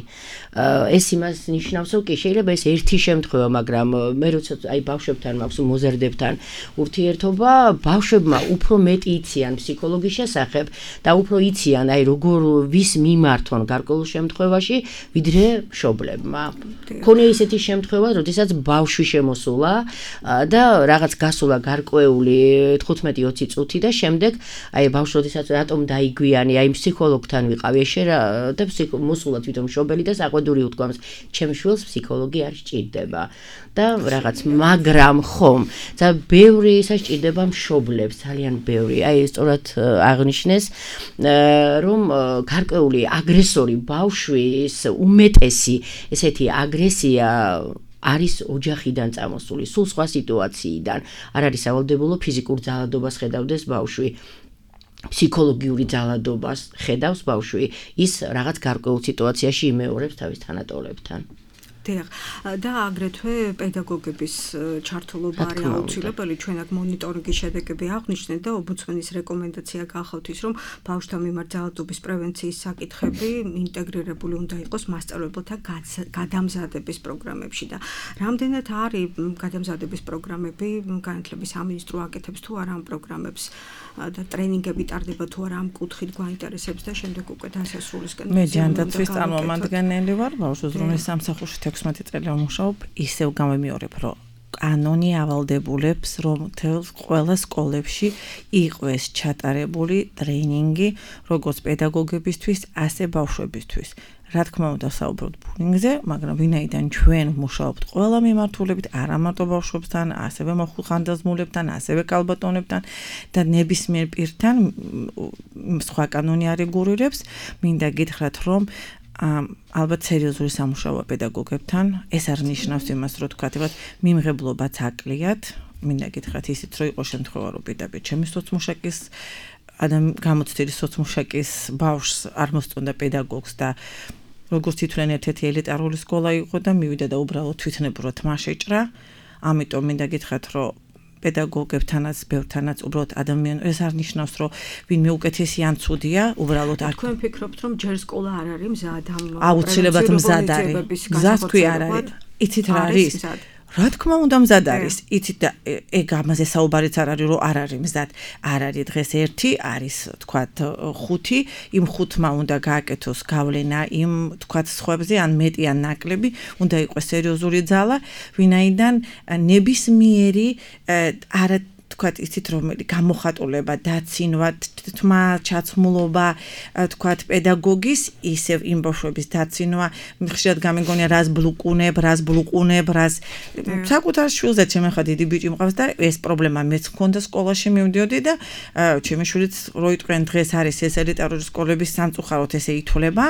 ეს იმას ნიშნავს, რომ კი შეიძლება ეს ერთი შემთხვევა, მაგრამ მე როცა აი ბავშვებთან მაქვს მოზარდებთან ურთიერთობა, ბავშვებმა უფრო მეტი იციან ფსიქოლოგიის შესახებ და უფრო იციან აი როგორ ვის მიმართონ გარკვეულ შემთხვევაში, ვიდრე მშობლებმა. მქონია ისეთი შემთხვევა, როდესაც ბავშვი შემოსულა და რაღაც გასულა გარკვეული 15-20 წუთი და შემდეგ აი ბავშვი როდესაც რატომ დაიგვიანი, აი ფსიქოლოგთან ვიყავი, და მოსულა თვითონ მშობელი და საყვედური უთქვამს, ჩემ შვილს ფსიქოლოგი არ სჭირდება და რაღაც, მაგრამ ხომ, და ბევრი სასჭირდება მშობლებს, ძალიან ბევრი. აი სწორად აღნიშნეს, რომ გარკვეული აგრესორი ბავშვის უმეტესი ესეთი აგრესია არის ოჯახიდან წამოსული, სულ სხვა სიტუაციიდან. არ არის სავალდებულო ფიზიკურ ძალადობას ხედავდეს ბავშვი. ფსიქოლოგიური ძალადობას ხედავს ბავშვი, ის რაღაც გარკვეულ სიტუაციაში იმეორებს თავის თანატოლებთან. დიახ, და აგრეთვე პედაგოგების ჩართულობა არის აუცილებელი. ჩვენ აქ მონიტორინგის შედეგები აღვნიშნეთ და ომბუდსმენის რეკომენდაცია გახავთ ის, რომ ბავშვთა მიმართ ძალადობის პრევენციის საკითხები ინტეგრირებული უნდა იყოს მასწავლებელთა გადამზადების პროგრამებში და რამდენად არის გადამზადების პროგრამები, განათლების სამინისტრო აკეთებს თუ არა ამ პროგრამებს და ტრენინგები ტარდება თუ არა ამ კუთხით გვაინტერესებს და შემდეგ უკვე დასასრულისკენ. მე ჯანდაცვის წარმომადგენელი ვარ, ბავშვთა ზრუნვის სამსახურში 16 წელი ვმუშაობ, ისევ გამომიორებ, რომ კანონი ავალდებულებს, რომ ყველა სკოლებში იყოს ჩატარებული ტრენინგი, როგორც პედაგოგებისთვის, ასე ბავშვებისთვის. რა თქმა უნდა, საუბრობთ ბულინგზე, მაგრამ ვინაიდან ჩვენ ვმუშაობთ ყველა მიმართულებით, არა მარტო ბავშვებთან, ასევე მოხუხანდაზმულებთან, ასევე ქალბატონებთან და ნებისმიერ პირთან სხვა კანონი არეგულირებს, მინდა გითხრათ, რომ ალბათ სერიოზული სამუშაოა პედაგოგებთან, ეს არ ნიშნავს იმას, რომ თქვათ, მიმღებლობაც აკლიათ, მინდა გითხრათ ისიც რომ იყო შემთხვევა რომ პირდაპირ ჩემი სოცმუშაკის გამოცდილი სოცმუშაკის ბავშვს არ მოსწონდა პედაგოგს და როგორც თვითონ ერთ-ერთი ელიტარული სკოლა იყო და მივიდა და უბრალოდ თვითნებურად თმა შეჭრა. ამიტომ მინდა გითხრათ რომ პედაგოგებთანაც, ბევრთანაც უბრალოდ ეს არ ნიშნავს რომ ვინმე უკეთესი ან ცუდია, უბრალოდ არ თქვენ ფიქრობთ რომ ჯერ სკოლა არ არის მზად ამ აუცილებლად მზად არის. მზად თქვი არ არის. იცით რა არის? რა თქმა უნდა მზად არის. იცით და ეგ ამაზე საუბარიც არ არის რომ არ არის მზად. არ არის დღეს 1 არის თქვათ 5, იმ 5-მა უნდა გააკეთოს გავლენა იმ თქვათ სხვებზე ან მეტი ან ნაკლები, უნდა იყოს სერიოზული ძალა, ვინაიდან ნებისმიერი არა თქვათ იცით რომელი გამოხატულება, დაცინვა, თმა ჩაცმულობა, თქვათ პედაგოგის, ისევ იმ ბავშვების დაცინვა, ხშირად გამიგონია რას ბლუკუნებ, რას საკუთარ შვილზე ჩემი ხა დიდი ბიჭი მყავს და ეს პრობლემა მეც მქონდა სკოლაში მივდიოდი და ჩემი შვილიც როიტყვენ დღეს არის ეს ელიტარული სკოლების სამწუხაროდ ესე ითვლება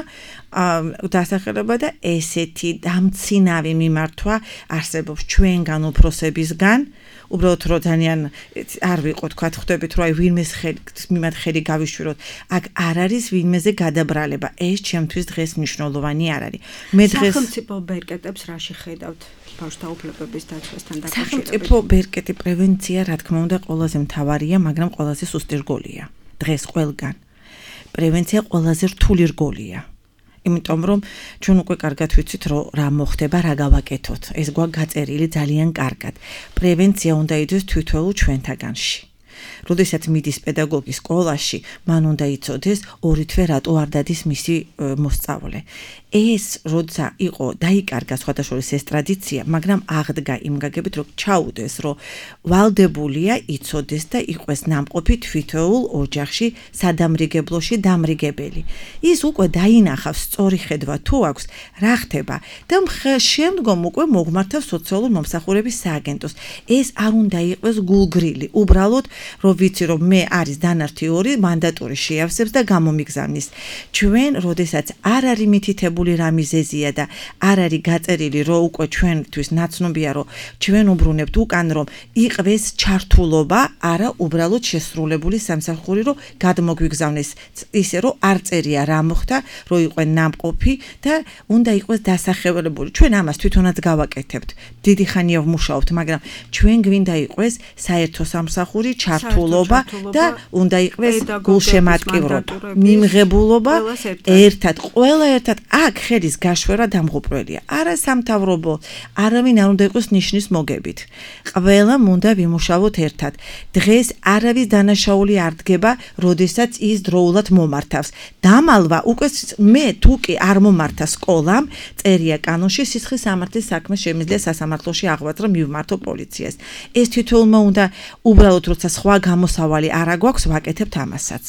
დასახელება და ესეთი დამცინავი მიმართვა არსებობს ჩვენგან უფროსებისგან უბრალოდ რო ძალიან არ ვიყო თქვა ხვდებით რომ აი ვინმეს მიმართ ხელი გავიშვიროთ აქ არ არის ვინმეზე გადაბრალება ეს ჩემთვის დღეს მნიშვნელოვანი არ არის მე დღეს სახელმწიფო ბერკეტებს რაში ხედავთ ბავშვთა უფლებების დაცვასთან დაკავშირებით სახელმწიფო ბერკეტი პრევენცია რა თქმა უნდა ყველაზე მთავარია მაგრამ ყველაზე სუსტი რგოლია დღეს ყველგან პრევენცია ყველაზე რთული რგოლია იმიტომ რომ ჩვენ უკვე კარგად ვიცით რომ რა მოხდება რა გავაკეთოთ ეს გვაგაწერილი ძალიან კარგად პრევენცია უნდა იდეს თვითონ ჩვენთაგანში როდესაც მიდის პედაგოგი სკოლაში მან უნდა იცოდეს ორი თვე რატო არ დადის მისი მოსწავლე ეს როცა იყო დაიკარგა სხვადასხვა ეს ტრადიცია მაგრამ აღდგა იმ გაგებით რომ ჩაუდეს რომ ვალდებულია იცოდეს და იყოს ნამყოფი თვითოულ ოჯახში სადამრიგებლოში დამრიგებელი ის უკვე დაინახავს სწორი ხედვა თუ აქვს რა ხდება და შემდგომ უკვე მოგმართავს სოციალურ მომსახურების სააგენტოს ეს არ უნდა იყოს გულგრილი უბრალოდ რომ ვიცი რომ მე არის დანართი 2 მანდატური შეავსებს და გამომიგზავნის ჩვენ როდესაც არ არის მითითებული რა მიზეზია და არ არის გაწერილი რომ უკვე ჩვენთვის ნაცნობია რომ ჩვენ უბრუნებთ უკან რომ იყვეს ჩართულობა არა უბრალოდ შესრულებული სამსახური რომ გადმოგვიგზავნეს ისე რომ არ წერია რა მოხდა რომ იყვენ ნამყოფი და უნდა იყოს დასახელებული ჩვენ ამას თვითონაც გავაკეთებთ დიდი ხანია ვმუშაობთ მაგრამ ჩვენ გვინდა იყოს საერთო სამსახური ჩართულობა და უნდა იყოს გულშემატკივრობა მიმღებულობა ერთად ყველა ერთად აქ ხელის გაშვერა დამღუპველია არა სამთავრობო არავინ არ უნდა იყოს ნიშნის მოგებით ყველა უნდა ვიმუშაოთ ერთად დღეს არავის დანაშაული არ დგება როდესაც ის დროულად მომართავს დამალვა უკვე მე თუკი არ მომართა სკოლამ წერია კანონში სისხლის სამართლის საქმე შემიძლია სასამართლოში აღვაწრო მივმართო პოლიციას ეს თითოეულმა უნდა უბრალოდ როცა სხვა გამოსავალი არ აგვაქვს ვაკეთებთ ამასაც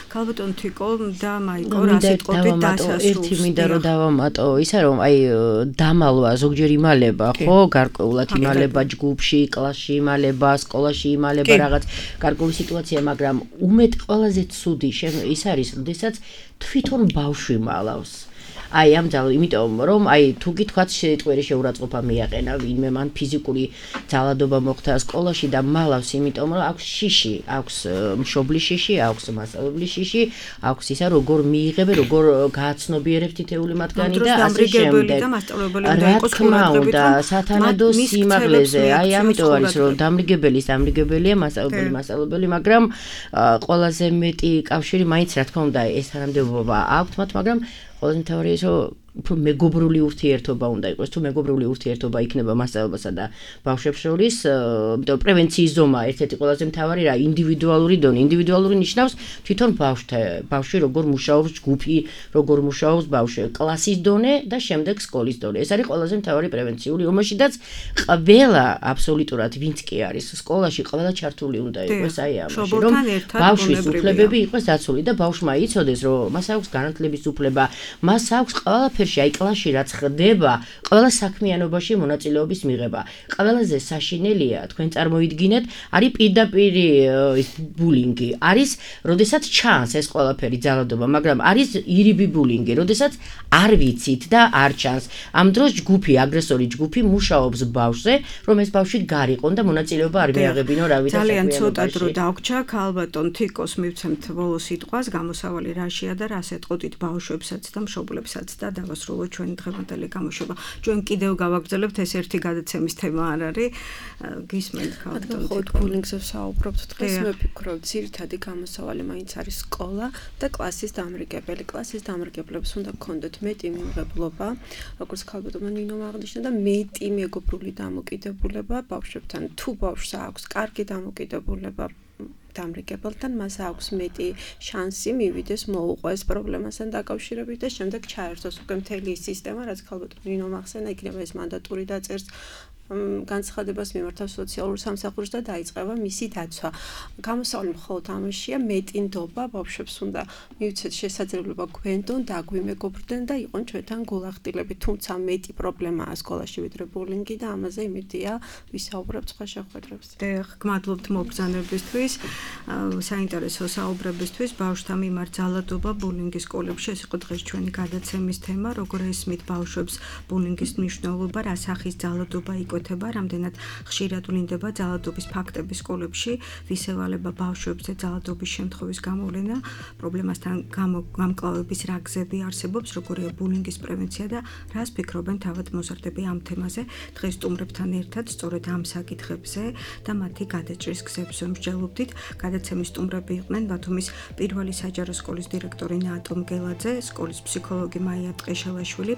ქალბატონ თიკო და მაიკო რა სიტყვებით დასასრულს ერთი მინდა რომ დავამატო ისა რომ აი დამალვა ზოგჯერ იმალება ხო გარკვეულად იმალება ჯგუფში კლასში იმალება სკოლაში იმალება რაღაც გარკვეული სიტუაცია მაგრამ უმეტ ყველაზე ცუდი ის არის როდესაც თვითონ ბავშვი მალავს აი ამ ძალო იმიტომ რომ აი თუ გითქვათ შეიტყვირი შეურაცხყოფა მიაყენა ვინმე მან ფიზიკური ძალადობა მოხდა სკოლაში და მალავს იმიტომ რომ აქვს შიში აქვს მშობლის შიში აქვს მასწავლებლის შიში აქვს ისა როგორ მიიღებენ როგორ გააცნობიერებს თითეული მათგანი და ასე შემდეგ რა თქმა უნდა სათანადო სიმაღლეზე აი ამიტომ არის რომ დამრიგებელია მასწავლებელი მაგრამ ყველაზე მეტი კავშირი მაინც რა თქმა უნდა ეს თანამდებობა აქვს მათ მაგრამ ყველაზე მთავარი ის რომ უფრო მეგობრული ურთიერთობა უნდა იყოს თუ მეგობრული ურთიერთობა იქნება მასწავლებელსა და ბავშვებს შორის იმიტომ პრევენციის ზომა ერთ-ერთი ყველაზე მთავარი რა ინდივიდუალური დონე ინდივიდუალური ნიშნავს თვითონ ბავშვი როგორ მუშაობს ჯგუფი როგორ მუშაობს ბავშვი კლასის დონე და შემდეგ სკოლის დონე ეს არის ყველაზე მთავარი პრევენციული ომაშიდაც ყველა აბსოლუტურად ვინც კი არის სკოლაში ყველა ჩართული უნდა იყოს აი ამაში რომ ბავშვის უფლებები იყოს დაცული და ბავშვმა იცოდეს რომ მას აქვს განათლების უფლება მას აქვს ყველაფერში ეთერში, აი კლასში რაც ხდება, ყველა საქმიანობაში მონაწილეობის მიღება. ყველაზე საშინელია, თქვენ წარმოიდგინეთ, არის პირდაპირი ის ბულინგი, არის, როდესაც ჩანს ეს ყველაფერი ძალადობა, მაგრამ არის ირიბი ბულინგი, როდესაც არ ვიცით და არ ჩანს. ამ დროს ჯგუფი, აგრესორი ჯგუფი მუშაობს ბავშვზე, რომ ეს ბავშვი გარიყონ და მონაწილეობა არ მიაღებინო რავით ძალიან ცოტა დრო დაგვრჩა, ქალბატონ თიკოს მივცემთ ბოლო სიტყვას, გამოსავალი რაშია და რას ეტყოდით ბავშვებსაც და მშობლებსაც და დავასრულოთ ჩვენი დღევანდელი გამოშვება. ჩვენ კიდევ გავაგრძელებთ, ეს ერთი გადაცემის თემა არ არის. გისმენთ ქალბატონ თიკო. ბულინგზე ვსაუბრობთ დღეს, მე ვფიქრობ, ძირითადი გამოსავალი მაინც არის სკოლა და კლასის დამრიგებელი. კლასის დამრიგებლებს უნდა გქონდეთ მეტი მიმღებლობა, როგორც ქალბატონმა ნინომ აღნიშნა და მეტი მეგობრული დამოკიდებულება ბავშვებთან. თუ ბავშვს აქვს კარგი დამოკიდებულება დამრიგებელთან, მას აქვს მეტი შანსი მივიდეს მოუყვეს პრობლემასთან დაკავშირებით და შემდეგ ჩაერთოს უკვე მთელი სისტემა, რაც ქალბატონ ნინომ ახსენა, იქნება ეს მანდატური დაწერს განცხადებას მიმართავს სოციალურ სამსახურს და დაიწყება მისი დაცვა. გამოსავალი მხოლოდ ამაშია, მეტი ნდობა ბავშვებს უნდა მივცეთ შესაძლებლობა გვენდონ, დაგვიმეგობრდნენ და იყვნენ ჩვენთან გულახდილები. თუმცა მეტი პრობლემაა სკოლაში ვიდრე ბულინგი და ამაზე იმედია ვისაუბრებთ სხვა შეხვედრებზე. გმადლობთ მობრძანებისთვის, საინტერესო საუბრებისთვის, ბავშვთა მიმართ ძალადობა ბულინგის სკოლებში. ეს იყო დღეს ჩვენი გადაცემის თემა, როგორ ესმით ბავშვებს ბულინგის მნიშვნელობა, რა სახის ძალადობა რამდენად ხშირად ვლინდება ძალადობის ფაქტები სკოლებში, ვისევალება ბავშვებზე ძალადობის შემთხვევის გამოვლენა, პრობლემასთან გამკლავების რა გზები არსებობს, როგორია ბულინგის პრევენცია და რას ფიქრობენ თავად მოზარდები ამ თემაზე. დღეს სტუმრებთან ერთად სწორედ ამ საკითხებზე და მათი გადაჭრის გზებს ვმსჯელობდით. გადაცემის სტუმრები იყვნენ ბათუმის პირველი საჯარო სკოლის დირექტორი ნატომ გელაძე, სკოლის ფსიქოლოგი მაია ტყეშელაშვილი,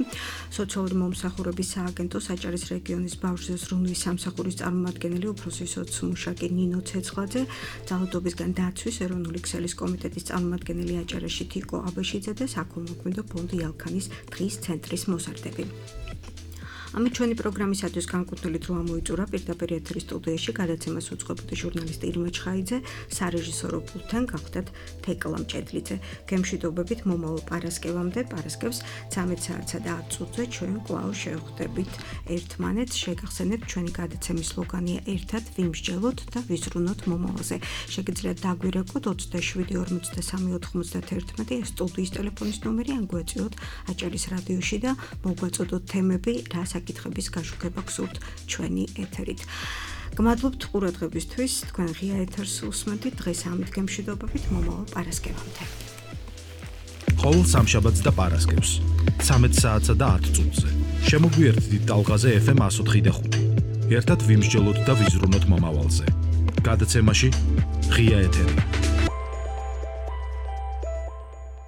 სოციალური მომსახურების სააგენტო საჭარის რეგიონის ბავშვ ზრუნვის სამსახურის წარმომადგენელი უფროსი სოციმუშაკი ნინო ცეცხლაძე, ძალადობისგან დაცვის ეროვნული ქსელის კომიტეტის წარმომადგენელი აჭარაში თიკო აბაშიძე და საქველმოქმედო ფონდი ალქანის დღის ცენტრის მოზარდები. ამით ჩვენი პროგრამისათვის განკუთვნილი დრო ამოიწურა პირდაპირ ეთერის სტუდიაში გადაცემას უძღვებოდი ჟურნალისტი ირმა ჩხაიძე, სარეჟისორო პულტთან გახდათ თეკლა მჭედლიძე. გემშვიდობებით მომავალ პარასკევამდე, პარასკევს 13 საათსა და 10 წუთზე ჩვენ კვლავ შევხვდებით ერთმანეთს. შეგახსენებთ, ჩვენი გადაცემის სლოგანია ერთად ვიმსჯელოთ და ვიზრუნოთ მომავალზე. შეგიძლიათ დაგვირეკოთ 27 43 91 ეს სტუდიის ტელეფონის ნომერი, ან გვეწიოთ აჭარის რადიოში და მოგვაწოდოთ თემები, რა საკითხების გაშუქება გსურთ ჩვენი ეთერით. გმადლობთ ყურადღებისთვის, თქვენ ღია ეთერს უსმენთ დღეს ამით გემშვიდობებით მომავალ პარასკევამდე. ყოველ სამშაბათს და პარასკევს 13 საათსა და 10 წუთზე შემოგვიერთდით ტალღაზე FM 104.5. ერთად ვიმსჯელოთ და ვიზრუნოთ მომავალზე. გადაცემაში ღია ეთერი.